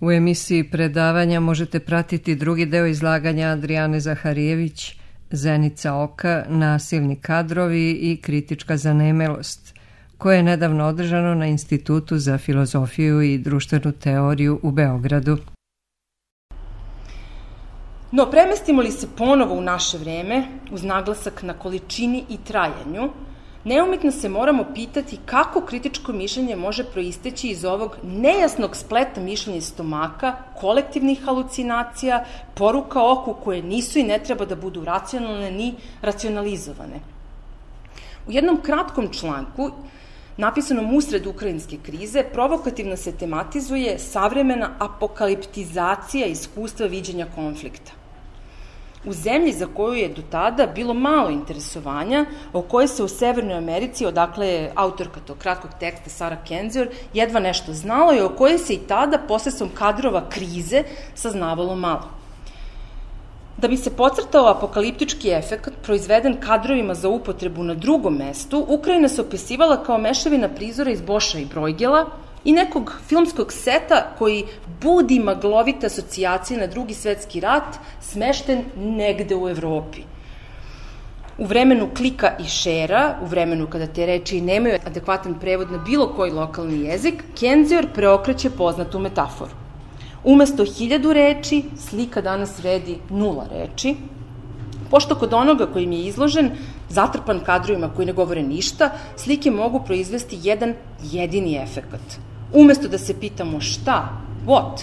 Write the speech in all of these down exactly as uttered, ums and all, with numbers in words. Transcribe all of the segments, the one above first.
U emisiji predavanja možete pratiti drugi deo izlaganja Adrijane Zaharijević, Zenica oka, nasilni kadrovi i kritička zanemelost, koje je nedavno održano na Institutu za filozofiju i društvenu teoriju u Beogradu. No, premestimo li se ponovo u naše vreme, uz naglasak na količini i trajanju, neumitno se moramo pitati kako kritičko mišljenje može proisteći iz ovog nejasnog spleta mišljenja stomaka, kolektivnih halucinacija, poruka oku koje nisu i ne treba da budu racionalne ni racionalizovane. U jednom kratkom članku, napisanom usred ukrajinske krize, provokativno se tematizuje savremena apokaliptizacija iskustva viđenja konflikta. U zemlji za koju je do tada bilo malo interesovanja, o kojoj se u Severnoj Americi, odakle je autorka tog kratkog teksta Sara Kendzior, jedva nešto znalo i o kojoj se i tada posredstvom kadrova krize saznavalo malo. Da bi se podcrtao apokaliptički efekt proizveden kadrovima za upotrebu na drugom mestu, Ukrajina se opisivala kao mešavina prizora iz Boša i Brojgela i nekog filmskog seta koji budi maglovite asocijacije na Drugi svetski rat, smešten negde u Evropi. U vremenu klika i šera, u vremenu kada te reči nemaju adekvatan prevod na bilo koji lokalni jezik, Kendzior preokreće poznatu metaforu. Umesto hiljadu reči, slika danas vredi nula reči, pošto kod onoga kojim je izložen, zatrpan kadrovima koji ne govore ništa, slike mogu proizvesti jedan jedini efekat. Umesto da se pitamo šta, what,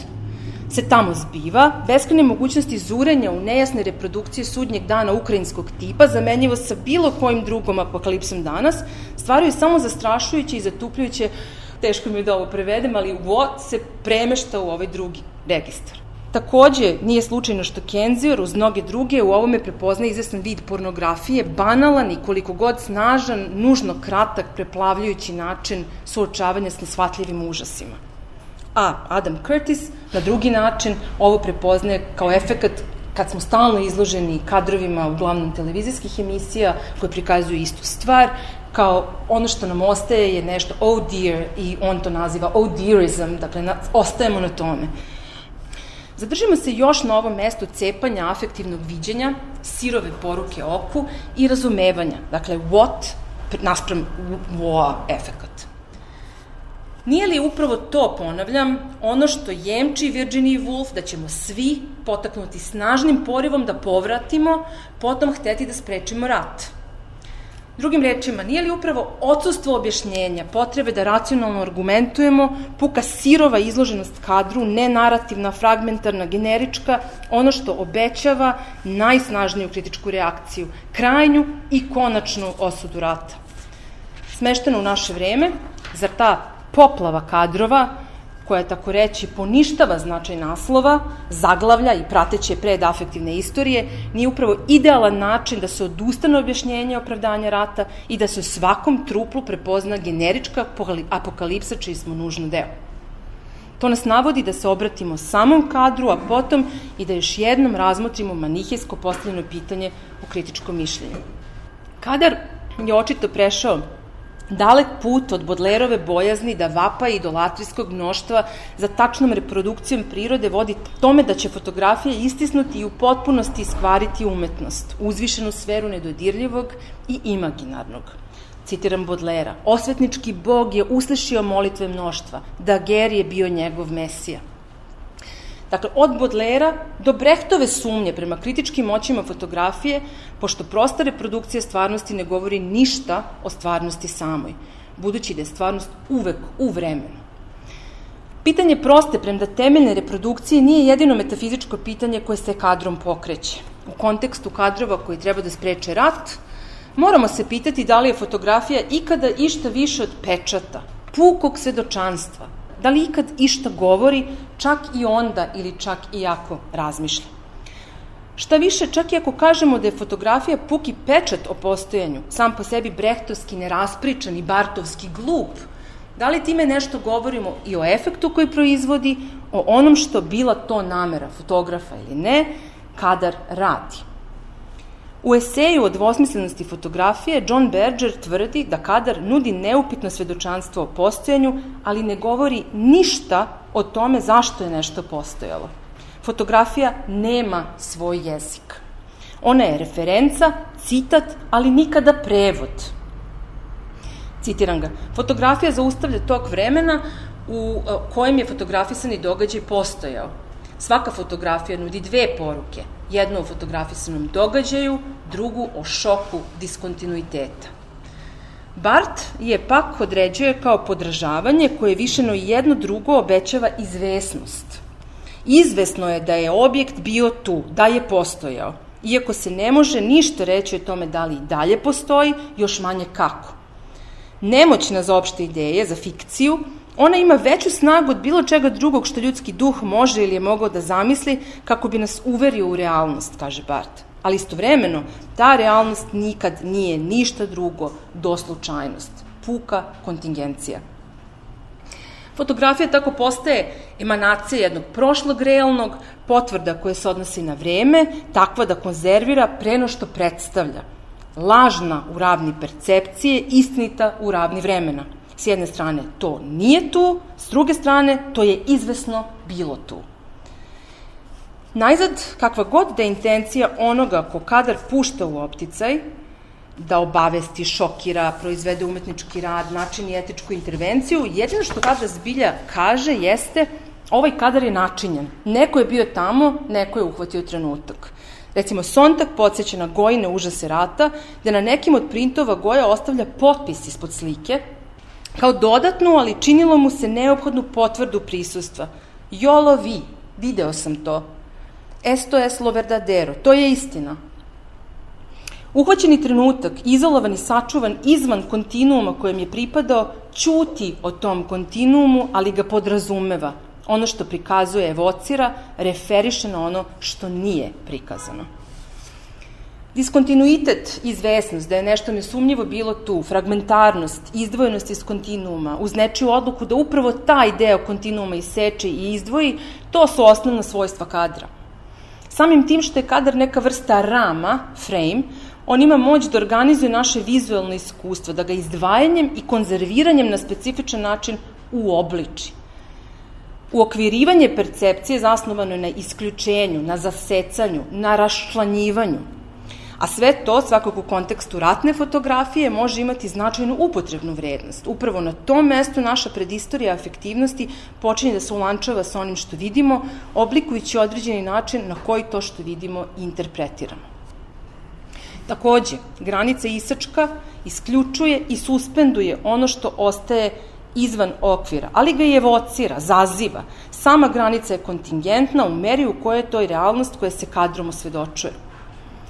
se tamo zbiva, beskrajne mogućnosti zurenja u nejasne reprodukcije sudnjeg dana ukrajinskog tipa, zamenjivo sa bilo kojim drugom apokalipsom danas, stvaraju samo zastrašujuće i zatupljujuće, teško mi je da ovo prevedem, ali what se premešta u ovaj drugi registar. Takođe, nije slučajno što Kendzior, uz mnoge druge, u ovome prepozna izvestan vid pornografije, banalan i koliko god snažan, nužno kratak, preplavljujući način suočavanja s nesvatljivim užasima. A Adam Curtis, na drugi način, ovo prepoznaje kao efekat kad smo stalno izloženi kadrovima, uglavnom televizijskih emisija, koje prikazuju istu stvar, kao ono što nam ostaje je nešto oh dear, i on to naziva oh dearism, dakle, na, ostajemo na tome. Zadržimo se još na ovom mestu cepanja afektivnog viđenja, sirove poruke oku i razumevanja, dakle, what naspram wow efekat. Nije li upravo to, ponavljam, ono što jemči Virginia Woolf, da ćemo svi potaknuti snažnim porivom da povratimo, potom hteti da sprečimo rat? Drugim rečima, nije li upravo odsustvo objašnjenja, potrebe da racionalno argumentujemo, puka sirova izloženost kadru, nenarativna, fragmentarna, generička, ono što obećava najsnažniju kritičku reakciju, krajnju i konačnu osudu rata? Smešteno u naše vreme, zar ta poplava kadrova, koja, tako reći, poništava značaj naslova, zaglavlja i prateće predafektivne istorije, nije upravo idealan način da se odustane objašnjenje opravdanja rata i da se u svakom truplu prepozna generička apokalipsa čiji smo nužno deo. To nas navodi da se obratimo samom kadru, a potom i da još jednom razmotrimo manihejsko postavljeno pitanje u kritičkom mišljenju. Kadar je očito prešao dalek put od Bodlerove bojazni da vapa idolatrijskog mnoštva za tačnom reprodukcijom prirode vodi tome da će fotografija istisnuti i u potpunosti iskvariti umetnost, uzvišenu sferu nedodirljivog i imaginarnog. Citiram Bodlera, osvetnički bog je uslišio molitve mnoštva, Daguerre je bio njegov mesija. Dakle, od Bodlera do Brechtove sumnje prema kritičkim moćima fotografije, pošto prosta reprodukcija stvarnosti ne govori ništa o stvarnosti samoj, budući da je stvarnost uvek u vremenu. Pitanje proste premda temeljne reprodukcije nije jedino metafizičko pitanje koje se kadrom pokreće. U kontekstu kadrova koji treba da spreče rat, moramo se pitati da li je fotografija ikada išta više od pečata, pukog svedočanstva, da li ikad išta govori, čak i onda ili čak i ako razmišlja. Šta više, čak i ako kažemo da je fotografija puki pečat o postojanju, sam po sebi brehtovski, neraspričan i bartovski glup, da li time nešto govorimo i o efektu koji proizvodi, o onom što bila to namera fotografa ili ne, kadar radi. U eseju o dvosmislenosti fotografije John Berger tvrdi da kadar nudi neupitno svedočanstvo o postojanju, ali ne govori ništa o tome zašto je nešto postojalo. Fotografija nema svoj jezik. Ona je referenca, citat, ali nikada prevod. Citiram ga, fotografija zaustavlja tok vremena u kojem je fotografisani događaj postojao. Svaka fotografija nudi dve poruke, jednu o fotografisanom događaju, drugu o šoku diskontinuiteta. Barth je pak određuje kao podražavanje koje višeno jedno drugo obećava izvesnost. Izvesno je da je objekt bio tu, da je postojao, iako se ne može ništa reći o tome da li i dalje postoji, još manje kako. Nemoćna za opšte ideje, za fikciju, ona ima veću snagu od bilo čega drugog što ljudski duh može ili je mogao da zamisli kako bi nas uverio u realnost, kaže Barth. Ali istovremeno, ta realnost nikad nije ništa drugo do slučajnost, puka kontingencija. Fotografija tako postaje emanacija jednog prošlog realnog, potvrda koja se odnosi na vreme, takva da konzervira preno što predstavlja. Lažna u ravni percepcije, istinita u ravni vremena. S jedne strane to nije tu, s druge strane to je izvesno bilo tu. Najzad, kakva god da je intencija onoga ko kadar pušta u opticaj, da obavesti, šokira, proizvede umetnički rad, načini etičku intervenciju, jedino što kadar zbilja kaže jeste ovaj kadar je načinjen. Neko je bio tamo, neko je uhvatio trenutak. Recimo, Sontag podsjeća na Gojine užase rata, da na nekim od printova Goja ostavlja potpis ispod slike, kao dodatnu, ali činilo mu se neophodnu potvrdu prisustva. Jolo vi, video sam to. Esto es lo verdadero, to je istina. Uhvaćeni trenutak, izolovan i sačuvan izvan kontinuuma kojem je pripadao, ćuti o tom kontinuumu, ali ga podrazumeva. Ono što prikazuje evocira, referiše na ono što nije prikazano. Diskontinuitet, izvesnost, da je nešto nesumnjivo bilo tu, fragmentarnost, izdvojenost iz kontinuuma, uz nečiju odluku da upravo taj deo kontinuuma iseče i izdvoji, to su osnovna svojstva kadra. Samim tim što je kadar neka vrsta rama, frame, on ima moć da organizuje naše vizualno iskustvo, da ga izdvajanjem i konzerviranjem na specifičan način uobliči. Uokvirivanje percepcije zasnovano je na isključenju, na zasecanju, na raščlanjivanju. A sve to, svakako u kontekstu ratne fotografije, može imati značajnu upotrebnu vrednost. Upravo na tom mestu naša predistorija afektivnosti počinje da se ulančava sa onim što vidimo, oblikujući određeni način na koji to što vidimo interpretiramo. Takođe, granica isačka isključuje i suspenduje ono što ostaje izvan okvira, ali ga i evocira, zaziva. Sama granica je kontingentna u meri u kojoj je to i realnost koja se kadrom osvedočuje.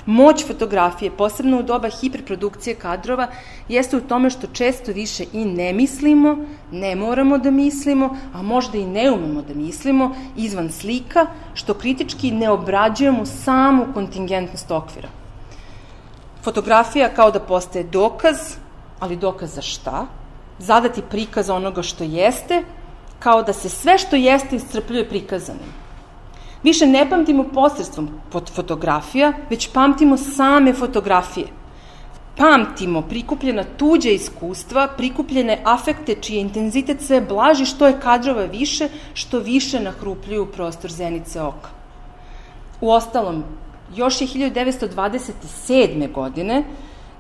Moć fotografije, posebno u doba hiperprodukcije kadrova, jeste u tome što često više i ne mislimo, ne moramo da mislimo, a možda i ne umemo da mislimo izvan slika, što kritički ne obrađujemo samu kontingentnost okvira. Fotografija kao da postaje dokaz, ali dokaz za šta? Zadati prikaz onoga što jeste, kao da se sve što jeste iscrpljuje prikazanim. Više ne pamtimo posredstvom pod fotografija, već pamtimo same fotografije. Pamtimo prikupljena tuđa iskustva, prikupljene afekte čiji intenzitet sve blaži, što je kadrova više, što više nahrupljuju prostor zenice oka. Uostalom, još je hiljadu devetsto dvadeset sedme. godine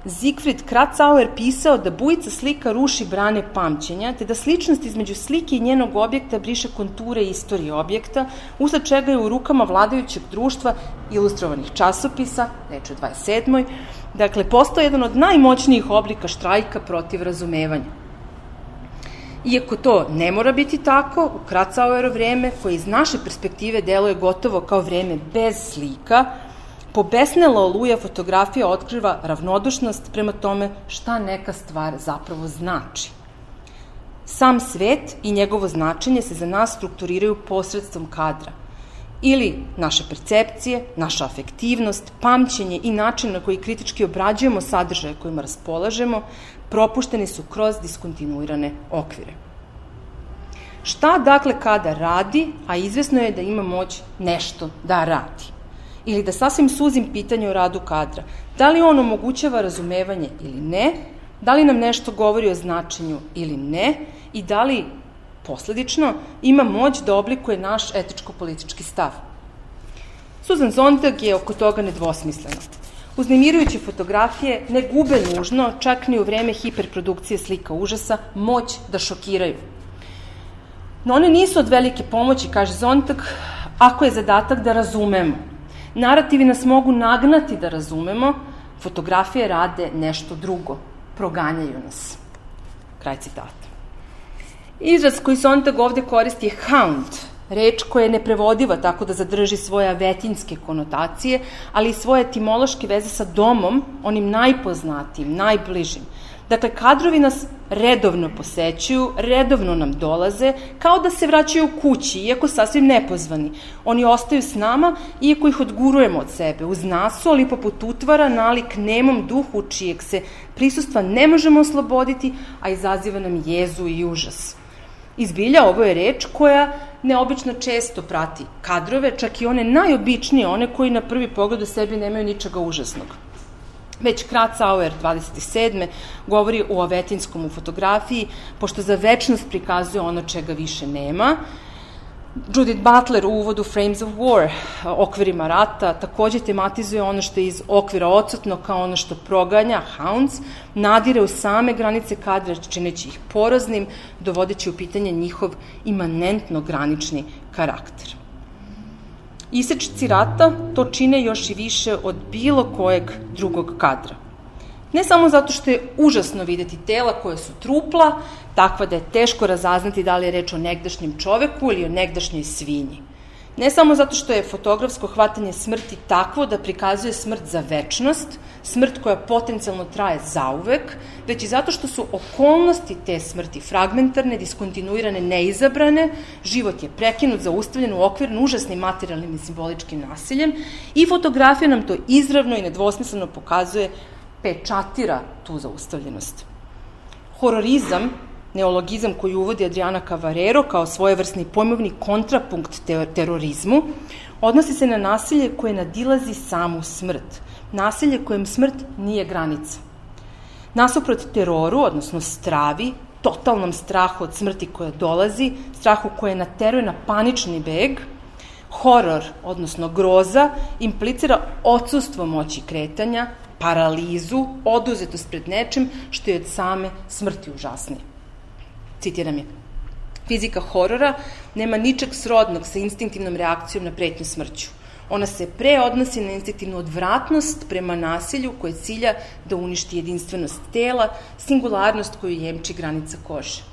Siegfried Kratzauer pisao da bujica slika ruši brane pamćenja, te da sličnost između slike i njenog objekta briše konture istorije objekta, usled čega je u rukama vladajućeg društva ilustrovanih časopisa, reč o dvadeset sedmoj. Dakle, postao jedan od najmoćnijih oblika štrajka protiv razumevanja. Iako to ne mora biti tako, u Kratzauero vreme, koje iz naše perspektive deluje gotovo kao vreme bez slika, pobesnela oluja fotografija otkriva ravnodušnost prema tome šta neka stvar zapravo znači. Sam svet i njegovo značenje se za nas strukturiraju posredstvom kadra. Ili naše percepcije, naša afektivnost, pamćenje i način na koji kritički obrađujemo sadržaje kojima raspolažemo, propušteni su kroz diskontinuirane okvire. Šta dakle kadar radi, a izvesno je da ima moć nešto da radi? Ili da sasvim suzim pitanje o radu kadra. Da li on omogućava razumevanje ili ne? Da li nam nešto govori o značenju ili ne? I da li Posledično, ima moć da oblikuje naš etičko-politički stav. Susan Sontag je oko toga nedvosmislena. Uznemirujuće fotografije ne gube nužno, čak ni u vreme hiperprodukcije slika užasa, moć da šokiraju. No one nisu od velike pomoći, kaže Sontag, ako je zadatak da razumemo. Narativi nas mogu nagnati da razumemo, fotografije rade nešto drugo, proganjaju nas. Kraj citata. Izraz koji Sontag ovde koristi je hound, reč koja je neprevodiva tako da zadrži svoje avetinjske konotacije, ali i svoje etimološke veze sa domom, onim najpoznatijim, najbližim. Dakle, kadrovi nas redovno posećuju, redovno nam dolaze, kao da se vraćaju kući, iako sasvim nepozvani. Oni ostaju s nama, iako ih odgurujemo od sebe, uz nasu, ali poput utvara, nalik nemom duhu, čijeg se prisustva ne možemo osloboditi, a izaziva nam jezu i užas. Izbilja, ovo je reč koja neobično često prati kadrove, čak i one najobičnije, one koji na prvi pogled u sebi nemaju ničega užasnog. Već Kratz-Auer dvadeset sedme govori o avetinskom u fotografiji, pošto za večnost prikazuje ono čega više nema. Judith Butler u uvodu Frames of War, okvirima rata, takođe tematizuje ono što je iz okvira odsutno kao ono što proganja, hounds, nadire u same granice kadra, čineći ih poroznim, dovodeći u pitanje njihov imanentno granični karakter. Isečci rata to čine još i više od bilo kojeg drugog kadra. Ne samo zato što je užasno videti tela koje su trupla, takva da je teško razaznati da li je reč o negdašnjem čoveku ili o negdašnjoj svinji. Ne samo zato što je fotografsko hvatanje smrti takvo da prikazuje smrt za večnost, smrt koja potencijalno traje zauvek, već i zato što su okolnosti te smrti fragmentarne, diskontinuirane, neizabrane, život je prekinut, zaustavljen u okvir užasnim materijalnim i simboličkim nasiljem i fotografija nam to izravno i nedvosmisleno pokazuje, pečatira tu zaustavljenost. Hororizam, neologizam koji uvodi Adriana Cavarero kao svojevrsni pojmovni kontrapunkt terorizmu, odnosi se na nasilje koje nadilazi samu smrt. Nasilje kojem smrt nije granica. Nasuprot teroru, odnosno stravi, totalnom strahu od smrti koja dolazi, strahu koje nateruje na panični beg, horor, odnosno groza, implicira odsustvo moći kretanja, paralizu, oduzetost pred nečim što je od same smrti užasnije. Citiram je. Fizika horora nema ničeg srodnog sa instinktivnom reakcijom na pretnju smrću. Ona se pre odnosi na instinktivnu odvratnost prema nasilju koje cilja da uništi jedinstvenost tela, singularnost koju jemči granica kože.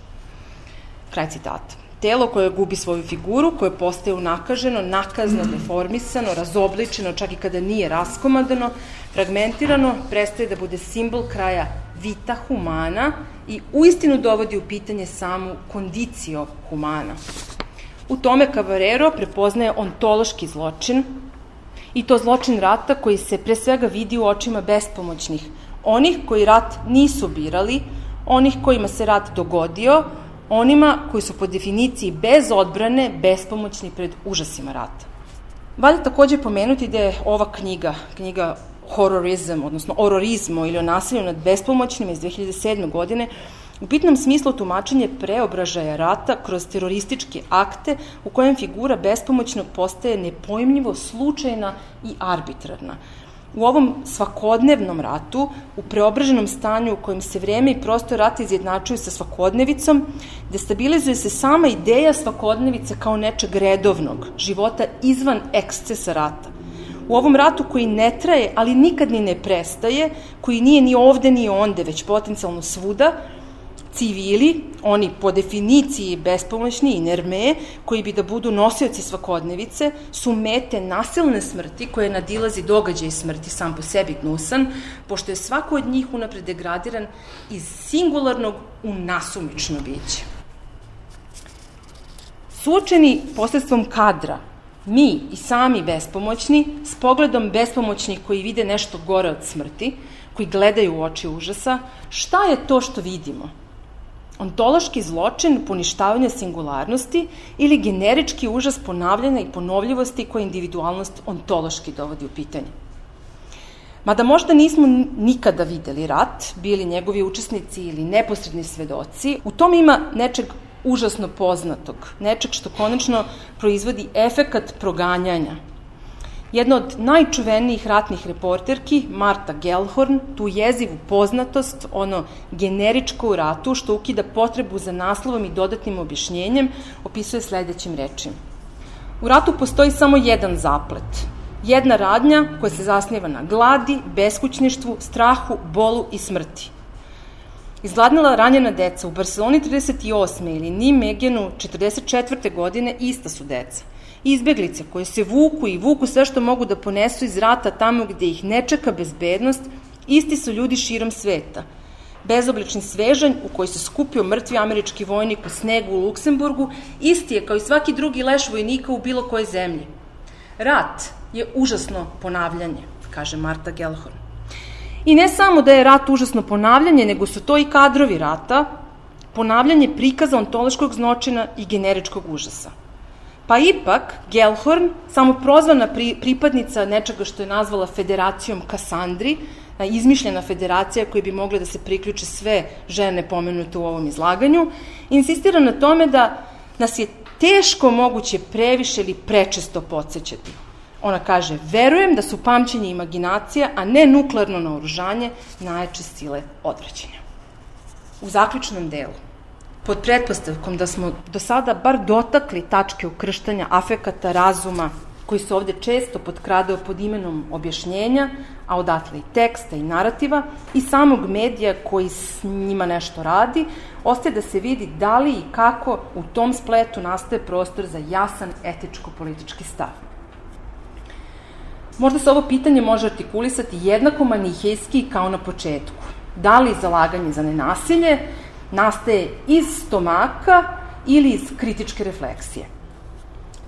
Kraj citata. Telo koje gubi svoju figuru, koje postaje unakaženo, nakazno, deformisano, razobličeno, čak i kada nije raskomadano, fragmentirano, prestaje da bude simbol kraja vita humana i uistinu dovodi u pitanje samu kondicio humana. U tome Cavarero prepoznaje ontološki zločin i to zločin rata koji se pre svega vidi u očima bespomoćnih, onih koji rat nisu birali, onih kojima se rat dogodio, onima koji su po definiciji bez odbrane, bespomoćni pred užasima rata. Valja takođe pomenuti da je ova knjiga, knjiga Hororizam, odnosno Ororizmo ili o nasilju nad bespomoćnim iz dve hiljade sedme. godine, u bitnom smislu tumačenje preobražaja rata kroz terorističke akte u kojem figura bespomoćnog postaje nepojmljivo slučajna i arbitrarna. U ovom svakodnevnom ratu, u preobraženom stanju u kojem se vreme i prostor rata izjednačuju sa svakodnevicom, destabilizuje se sama ideja svakodnevice kao nečeg redovnog, života izvan ekscesa rata. U ovom ratu koji ne traje, ali nikad ni ne prestaje, koji nije ni ovde ni onde, već potencijalno svuda, civili, oni po definiciji bespomoćni i nerme, koji bi da budu nosioci svakodnevice, su mete nasilne smrti koje nadilazi događaj smrti sam po sebi gnusan, pošto je svako od njih unapred degradiran iz singularnog u nasumično biće. Suočeni posredstvom kadra, mi i sami bespomoćni, s pogledom bespomoćnih koji vide nešto gore od smrti, koji gledaju u oči užasa, šta je to što vidimo? Ontološki zločin poništavanja singularnosti ili generički užas ponavljanja i ponovljivosti koje individualnost ontološki dovodi u pitanje. Mada možda nismo nikada videli rat, bili njegovi učesnici ili neposredni svedoci, u tom ima nečeg užasno poznatog, nečeg što konačno proizvodi efekat proganjanja. Jedna od najčuvenijih ratnih reporterki, Marta Gellhorn, tu jezivu poznatost, ono generičko u ratu, što ukida potrebu za naslovom i dodatnim objašnjenjem, opisuje sledećim rečima. U ratu postoji samo jedan zaplet, jedna radnja koja se zasniva na gladi, beskućništvu, strahu, bolu i smrti. Izgladnila ranjena deca u Barceloni trideset osme ili Nimegenu četrdeset četvrte godine ista su deca. Izbeglice koje se vuku i vuku sve što mogu da ponesu iz rata tamo gde ih ne čeka bezbednost, isti su ljudi širom sveta. Bezoblični svežanj u koji se skupio mrtvi američki vojnik u snegu u Luksemburgu, isti je kao i svaki drugi leš vojnika u bilo kojoj zemlji. Rat je užasno ponavljanje, kaže Marta Gellhorn. I ne samo da je rat užasno ponavljanje, nego su to i kadrovi rata, ponavljanje prikaza ontološkog zločina i generičkog užasa. Pa ipak, Gellhorn, samoprozvana pri, pripadnica nečega što je nazvala Federacijom Kasandri, izmišljena federacija koja bi mogla da se priključe sve žene pomenute u ovom izlaganju, insistira na tome da nas je teško moguće previše ili prečesto podsjećati. Ona kaže, verujem da su pamćenje i imaginacija, a ne nuklearno naoružanje, najjače sile odvraćanja. U zaključnom delu, pod pretpostavkom da smo do sada bar dotakli tačke ukrštanja afekata, razuma, koji se ovde često potkradao pod imenom objašnjenja, a odatle i teksta i narativa, i samog medija koji s njima nešto radi, ostaje da se vidi da li i kako u tom spletu nastaje prostor za jasan etičko-politički stav. Možda se ovo pitanje može artikulisati jednako manihejski kao na početku. Da li zalaganje za nenasilje nastaje iz stomaka ili iz kritičke refleksije?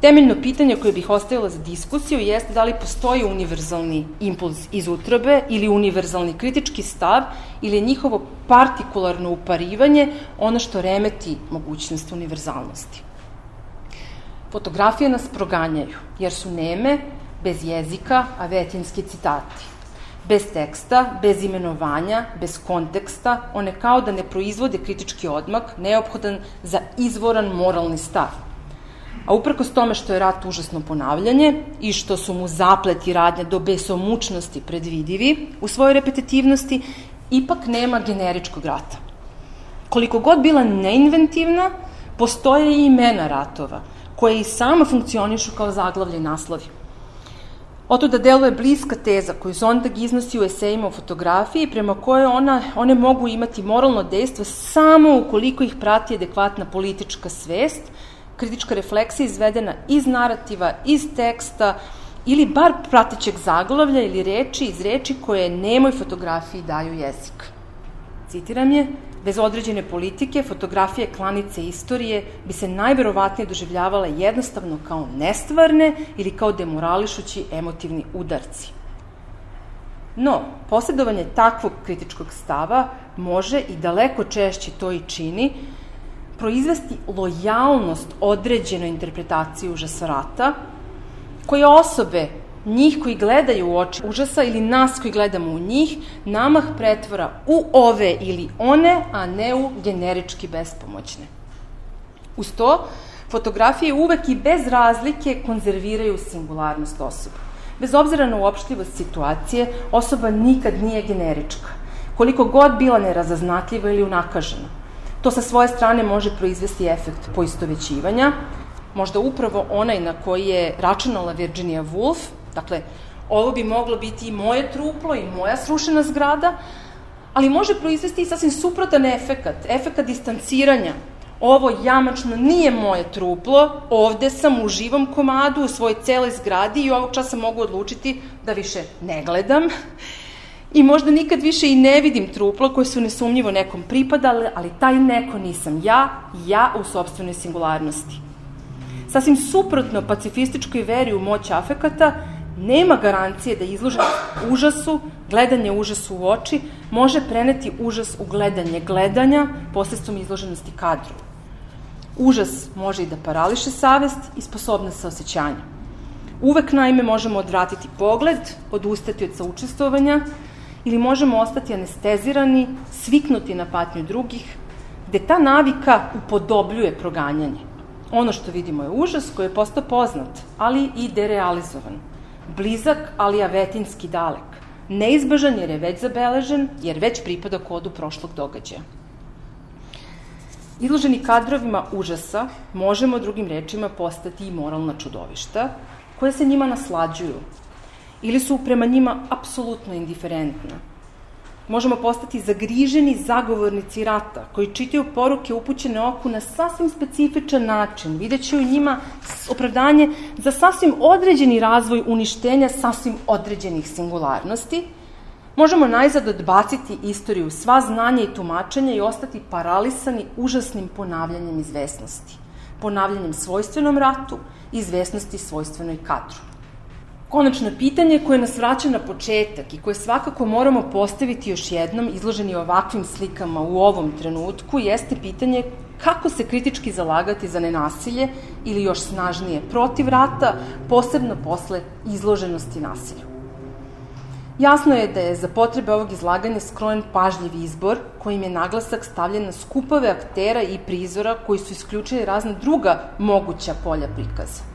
Temeljno pitanje koje bih ostavila za diskusiju jeste da li postoji univerzalni impuls iz utrobe ili univerzalni kritički stav ili je njihovo partikularno uparivanje ono što remeti mogućnost univerzalnosti. Fotografije nas proganjaju jer su neme, bez jezika, a vetinski citati. Bez teksta, bez imenovanja, bez konteksta, one kao da ne proizvode kritički odmak, neophodan za izvoran moralni stav. A uprkos tome što je rat užasno ponavljanje i što su mu zaplet i radnja do besomučnosti predvidivi u svojoj repetitivnosti, ipak nema generičkog rata. Koliko god bila neinventivna, postoje i imena ratova, koje i sama funkcionišu kao zaglavlje i naslovi. Oto da deluje bliska teza koju Zondag iznosi u esejima o fotografiji, prema kojoj ona, one mogu imati moralno dejstvo samo ukoliko ih prati adekvatna politička svest, kritička refleksija izvedena iz narativa, iz teksta ili bar pratećeg zaglavlja ili reči iz reči koje nemoj fotografiji daju jezik. Citiram je, bez određene politike, fotografije klanice istorije bi se najverovatnije doživljavale jednostavno kao nestvarne ili kao demorališući emotivni udarci. No, posjedovanje takvog kritičkog stava može i daleko češće to i čini, proizvesti lojalnost određenoj interpretaciji užasa rata, koje osobe, njih koji gledaju u oči užasa ili nas koji gledamo u njih, namah pretvora u ove ili one, a ne u generički bespomoćne. Uz to, fotografije uvek i bez razlike konzerviraju singularnost osoba. Bez obzira na uopštivost situacije, osoba nikad nije generička, koliko god bila nerazaznatljiva ili unakažena. To sa svoje strane može proizvesti efekt poistovećivanja, možda upravo onaj na koji je računala Virginia Woolf. Dakle, ovo bi moglo biti i moje truplo i moja srušena zgrada, ali može proizvesti i sasvim suprotan efekat, efekat distanciranja. Ovo jamačno nije moje truplo, ovde sam u živom komadu, u svojoj celoj zgradi i ovog časa mogu odlučiti da više ne gledam i možda nikad više i ne vidim truplo koje su nesumnjivo nekom pripadale, ali taj neko nisam ja, ja u sopstvenoj singularnosti. Sasvim suprotno pacifističkoj veri u moć afekata, nema garancije da izloženost užasu, gledanje užasu u oči, može preneti užas u gledanje gledanja posredstvom izloženosti kadru. Užas može i da parališe savest i sposobnost saosećanja. Uvek, naime, možemo odvratiti pogled, odustati od saučestvovanja ili možemo ostati anestezirani, sviknuti na patnju drugih, gde ta navika upodobljuje proganjanje. Ono što vidimo je užas koji je postao poznat, ali i derealizovan. Blizak, ali avetinski dalek. Neizbežan jer je već zabeležen, jer već pripada kodu prošlog događaja. Izloženi kadrovima užasa možemo drugim rečima postati i moralna čudovišta koje se njima naslađuju ili su prema njima apsolutno indiferentna. Možemo postati zagriženi zagovornici rata koji čitaju poruke upućene oku na sasvim specifičan način, videći u njima opravdanje za sasvim određeni razvoj uništenja sasvim određenih singularnosti. Možemo najzad odbaciti istoriju, sva znanja i tumačenja i ostati paralisani užasnim ponavljanjem izvesnosti. Ponavljanjem svojstvenom ratu i izvesnosti svojstvenoj kadru. Konačno pitanje koje nas vraća na početak i koje svakako moramo postaviti još jednom izloženi ovakvim slikama u ovom trenutku jeste pitanje kako se kritički zalagati za nenasilje ili još snažnije protiv rata, posebno posle izloženosti nasilju. Jasno je da je za potrebe ovog izlaganja skrojen pažljiv izbor kojim je naglasak stavljen na skupove aktera i prizora koji su isključili razna druga moguća polja prikaza.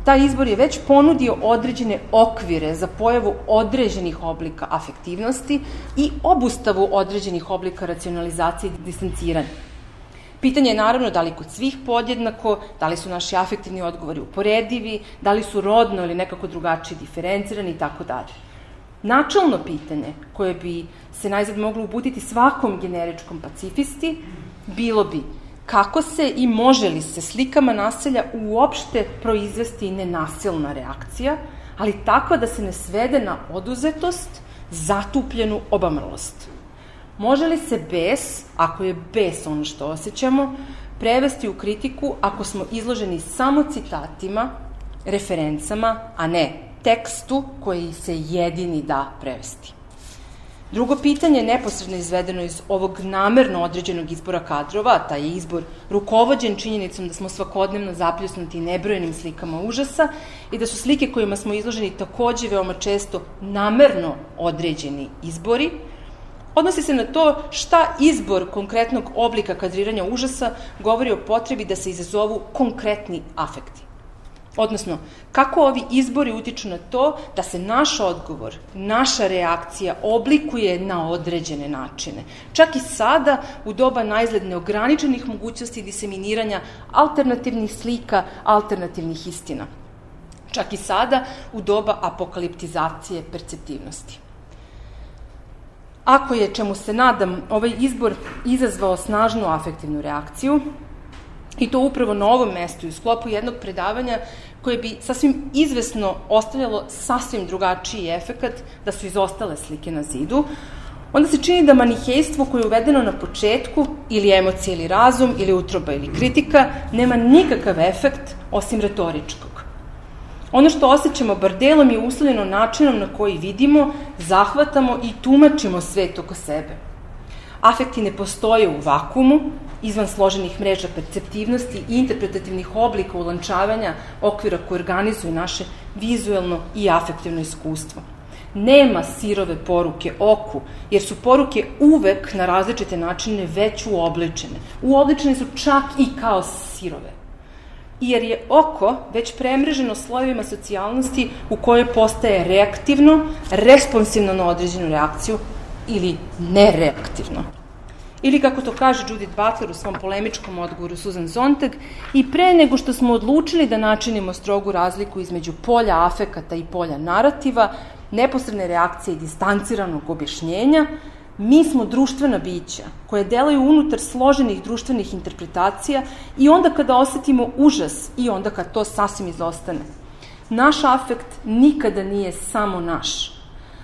Taj izbor je već ponudio određene okvire za pojavu određenih oblika afektivnosti i obustavu određenih oblika racionalizacije i distanciranja. Pitanje je naravno da li kod svih podjednako, da li su naši afektivni odgovori uporedivi, da li su rodno ili nekako drugačije diferencirani i tako dalje. Načelno pitanje koje bi se najzad moglo uputiti svakom generičkom pacifisti bilo bi kako se i može li se slikama nasilja uopšte proizvesti nenasilna reakcija, ali tako da se ne svede na oduzetost, zatupljenu obamrlost. Može li se bes, ako je bes ono što osjećamo, prevesti u kritiku ako smo izloženi samo citatima, referencama, a ne tekstu koji se jedini da prevesti. Drugo pitanje, neposredno izvedeno iz ovog namerno određenog izbora kadrova, taj je izbor rukovođen činjenicom da smo svakodnevno zapljusnuti nebrojenim slikama užasa i da su slike kojima smo izloženi takođe veoma često namerno određeni izbori, odnosi se na to šta izbor konkretnog oblika kadriranja užasa govori o potrebi da se izazovu konkretni afekti. Odnosno, kako ovi izbori utiču na to da se naš odgovor, naša reakcija oblikuje na određene načine. Čak i sada, u doba najzgled neograničenih mogućnosti diseminiranja alternativnih slika, alternativnih istina. Čak i sada, u doba apokaliptizacije perceptivnosti. Ako je, čemu se nadam, ovaj izbor izazvao snažnu afektivnu reakciju, i to upravo na ovom mestu i u sklopu jednog predavanja koje bi sasvim izvesno ostavljalo sasvim drugačiji efekat da su izostale slike na zidu, onda se čini da manihejstvo koje je uvedeno na početku, ili emocija ili razum, ili utroba ili kritika, nema nikakav efekt osim retoričkog. Ono što osjećamo bar delom je uslovljeno načinom na koji vidimo, zahvatamo i tumačimo svet oko sebe. Afekti ne postoje u vakumu, izvan složenih mreža perceptivnosti i interpretativnih oblika ulančavanja okvira koji organizuju naše vizuelno i afektivno iskustvo. Nema sirove poruke oku, jer su poruke uvek na različite načine već uobličene. Uobličene su čak i kao sirove. I jer je oko već premreženo slojevima socijalnosti u kojoj postaje reaktivno, responsivno na određenu reakciju ili nereaktivno. Ili, kako to kaže Judith Butler u svom polemičkom odgovoru Susan Sontag, i pre nego što smo odlučili da načinimo strogu razliku između polja afekata i polja narativa, neposredne reakcije i distanciranog objašnjenja, mi smo društvena bića koje delaju unutar složenih društvenih interpretacija i onda kada osetimo užas i onda kad to sasvim izostane. Naš afekt nikada nije samo naš.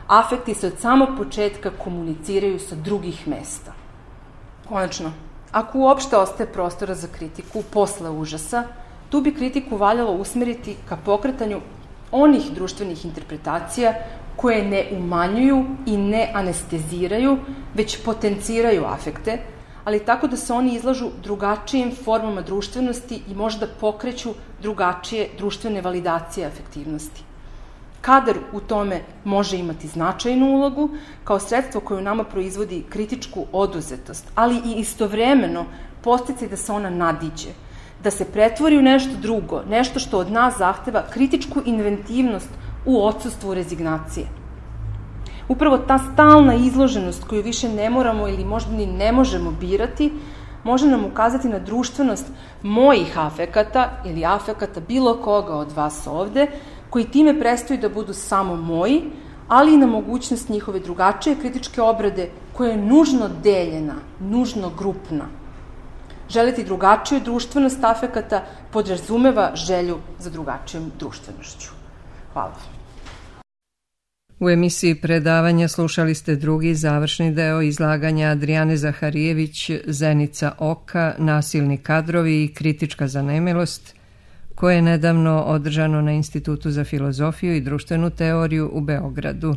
Afekti se od samog početka komuniciraju sa drugih mesta. Konačno, ako uopšte ostaje prostora za kritiku posle užasa, tu bi kritiku valjalo usmeriti ka pokretanju onih društvenih interpretacija koje ne umanjuju i ne anesteziraju, već potenciraju afekte, ali tako da se oni izlažu drugačijim formama društvenosti i možda pokreću drugačije društvene validacije afektivnosti. Kadar u tome može imati značajnu ulogu kao sredstvo koje u nama proizvodi kritičku oduzetost, ali i istovremeno podsticaj da se ona nadiđe, da se pretvori u nešto drugo, nešto što od nas zahteva kritičku inventivnost u odsustvu rezignacije. Upravo ta stalna izloženost koju više ne moramo ili možda ni ne možemo birati, može nam ukazati na društvenost mojih afekata ili afekata bilo koga od vas ovde, koji time prestaju da budu samo moji, ali i na mogućnost njihove drugačije kritičke obrade koja je nužno deljena, nužno grupna. Želiti drugačiju društvenost afekata podrazumeva želju za drugačijom društvenošću. Hvala. U emisiji predavanja slušali ste drugi završni deo izlaganja Adrijane Zaharijević, Zenica oka, nasilni kadrovi i kritička zanemilost, koje je nedavno održano na Institutu za filozofiju i društvenu teoriju u Beogradu.